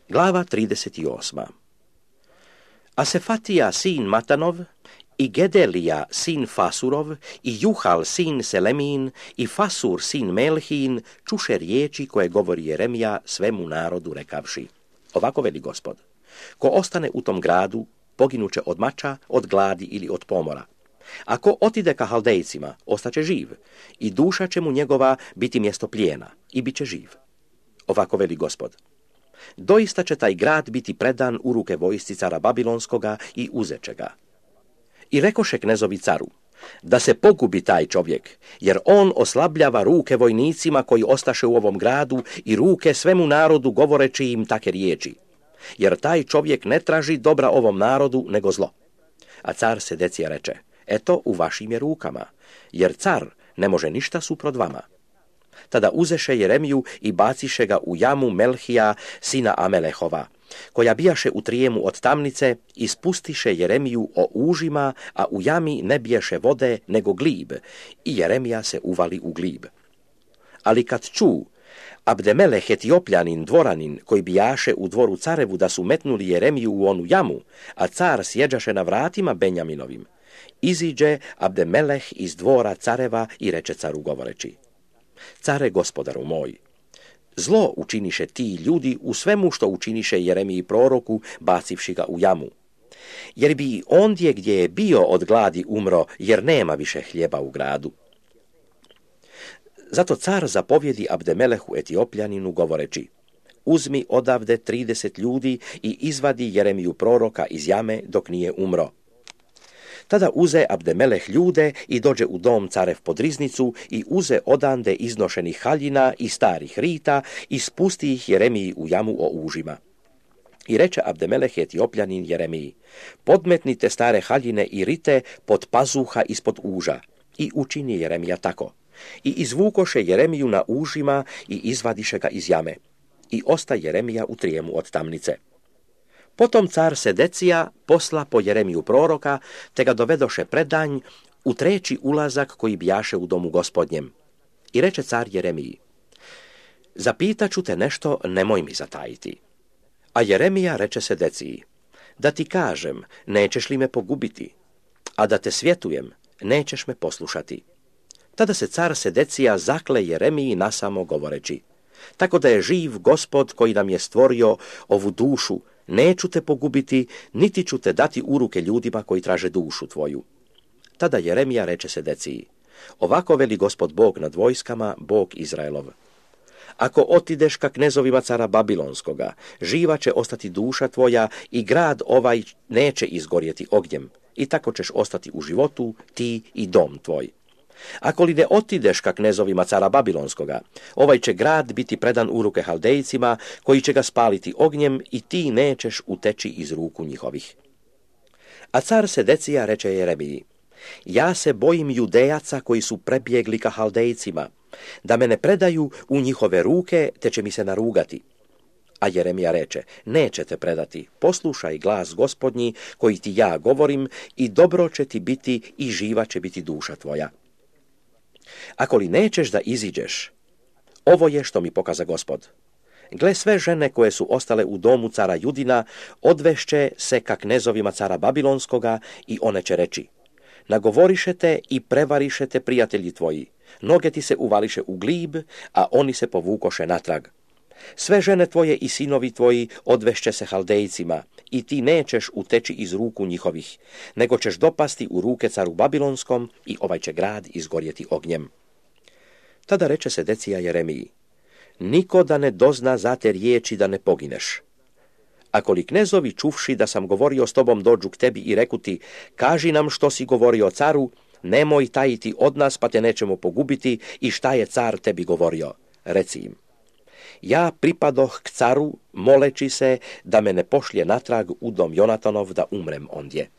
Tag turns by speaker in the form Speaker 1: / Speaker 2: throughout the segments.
Speaker 1: Glava 38. A Sefatija sin Matanov, i Gedelija sin Fasurov, i Juhal sin Selemín, i Fasur sin Melhín čuše riječi koje govori Jeremija svemu narodu rekavši: Ovako veli Gospod, ko ostane u tom gradu, poginuće od mača, od gladi ili od pomora. Ako otide ka Haldejcima, ostaće živ, i duša će mu njegova biti mjesto plijena, i bit će živ. Ovako veli Gospod, doista će taj grad biti predan u ruke vojsci cara Babilonskoga i uzeće ga. I rekoše knezovi caru, da se pogubi taj čovjek, jer on oslabljava ruke vojnicima koji ostaše u ovom gradu i ruke svemu narodu govoreći im take riječi. Jer taj čovjek ne traži dobra ovom narodu, nego zlo. A car Sedecija reče, eto u vašim je rukama, jer car ne može ništa suprot vama. Tada uzeše Jeremiju i baciše ga u jamu Melhija, sina Amelehova, koja bijaše u trijemu od tamnice, i spustiše Jeremiju o užima, a u jami ne bijaše vode, nego glib, i Jeremija se uvali u glib. Ali kad ču Abdemeleh Etiopljanin, dvoranin, koji bijaše u dvoru carevu, da su metnuli Jeremiju u onu jamu, a car sjeđaše na vratima Benjaminovim, iziđe Abdemeleh iz dvora careva i reče caru govoreći: Care, gospodaru moj, zlo učiniše ti ljudi u svemu što učiniše Jeremiji proroku, bacivši ga u jamu. Jer bi ondje gdje je bio od gladi umro, jer nema više hljeba u gradu. Zato car zapovjedi Abdemelehu Etiopljaninu govoreći: Uzmi odavde 30 ljudi i izvadi Jeremiju proroka iz jame dok nije umro. Tada uze Abdemeleh ljude i dođe u dom carev pod riznicu i uze odande iznošenih haljina i starih rita i spusti ih Jeremiji u jamu o užima. I reče Abdemeleh Etiopljanin Jeremiji: Podmetnite stare haljine i rite pod pazuha ispod uža. I učini Jeremija tako. I izvukoše Jeremiju na užima i izvadiše ga iz jame. I osta Jeremija u trijemu od tamnice. Potom car Sedecija posla po Jeremiju proroka, te ga dovedoše predanj u treći ulazak koji bijaše u domu gospodnjem. I reče car Jeremiji: Zapitaću te nešto, nemoj mi zatajiti. A Jeremija reče Sedeciji: Da ti kažem, nećeš li me pogubiti? A da te svjetujem, nećeš me poslušati. Tada se car Sedecija zakle Jeremiji nasamo govoreći: Tako da je živ Gospod koji nam je stvorio ovu dušu, neću te pogubiti, niti ću te dati u ruke ljudima koji traže dušu tvoju. Tada Jeremija reče Sedeciji: Ovako veli Gospod Bog nad vojskama, Bog Izraelov. Ako otideš ka knezovima cara Babilonskoga, živa će ostati duša tvoja i grad ovaj neće izgorjeti ognjem, i tako ćeš ostati u životu, ti i dom tvoj. Ako li ne otideš ka knezovima cara Babilonskoga, ovaj će grad biti predan u ruke Haldejcima, koji će ga spaliti ognjem, i ti nećeš uteći iz ruku njihovih. A car Sedecija reče Jeremiji: Ja se bojim Judejaca koji su prebjegli ka Haldejcima, da me ne predaju u njihove ruke, te će mi se narugati. A Jeremija reče: Neće te predati, poslušaj glas Gospodnji koji ti ja govorim, i dobro će ti biti i živa će biti duša tvoja. Ako li nećeš da iziđeš, ovo je što mi pokaza Gospod. Gle, sve žene koje su ostale u domu cara Judina odvešće se ka knezovima cara Babilonskoga, i one će reći: Nagovorišete i prevarišete prijatelji tvoji, noge ti se uvališe u glib, a oni se povukoše natrag. Sve žene tvoje i sinovi tvoji odvešće se Haldejcima, i ti nećeš uteći iz ruku njihovih, nego ćeš dopasti u ruke caru Babilonskom, i ovaj će grad izgorjeti ognjem. Tada reče Sedecija Jeremiji: Niko da ne dozna za te riječi da ne pogineš. Ako li knezovi čuvši da sam govorio s tobom dođu k tebi i reku ti: Kaži nam što si govorio caru, nemoj tajiti od nas, pa te nećemo pogubiti, i šta je car tebi govorio. Reci im: Ja pripadoh k caru, moleći se da me ne pošlje natrag u dom Jonatanov da umrem ondje.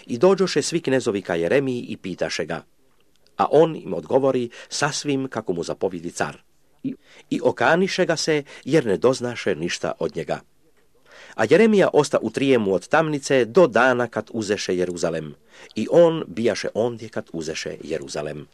Speaker 1: I dođoše svi knezovi ka Jeremiji i pitaše ga, a on im odgovori sasvim kako mu zapovjedi car. I okaniše ga se, jer ne doznaše ništa od njega. A Jeremija osta u trijemu od tamnice do dana kad uzeše Jeruzalem, i on bijaše ondje kad uzeše Jeruzalem.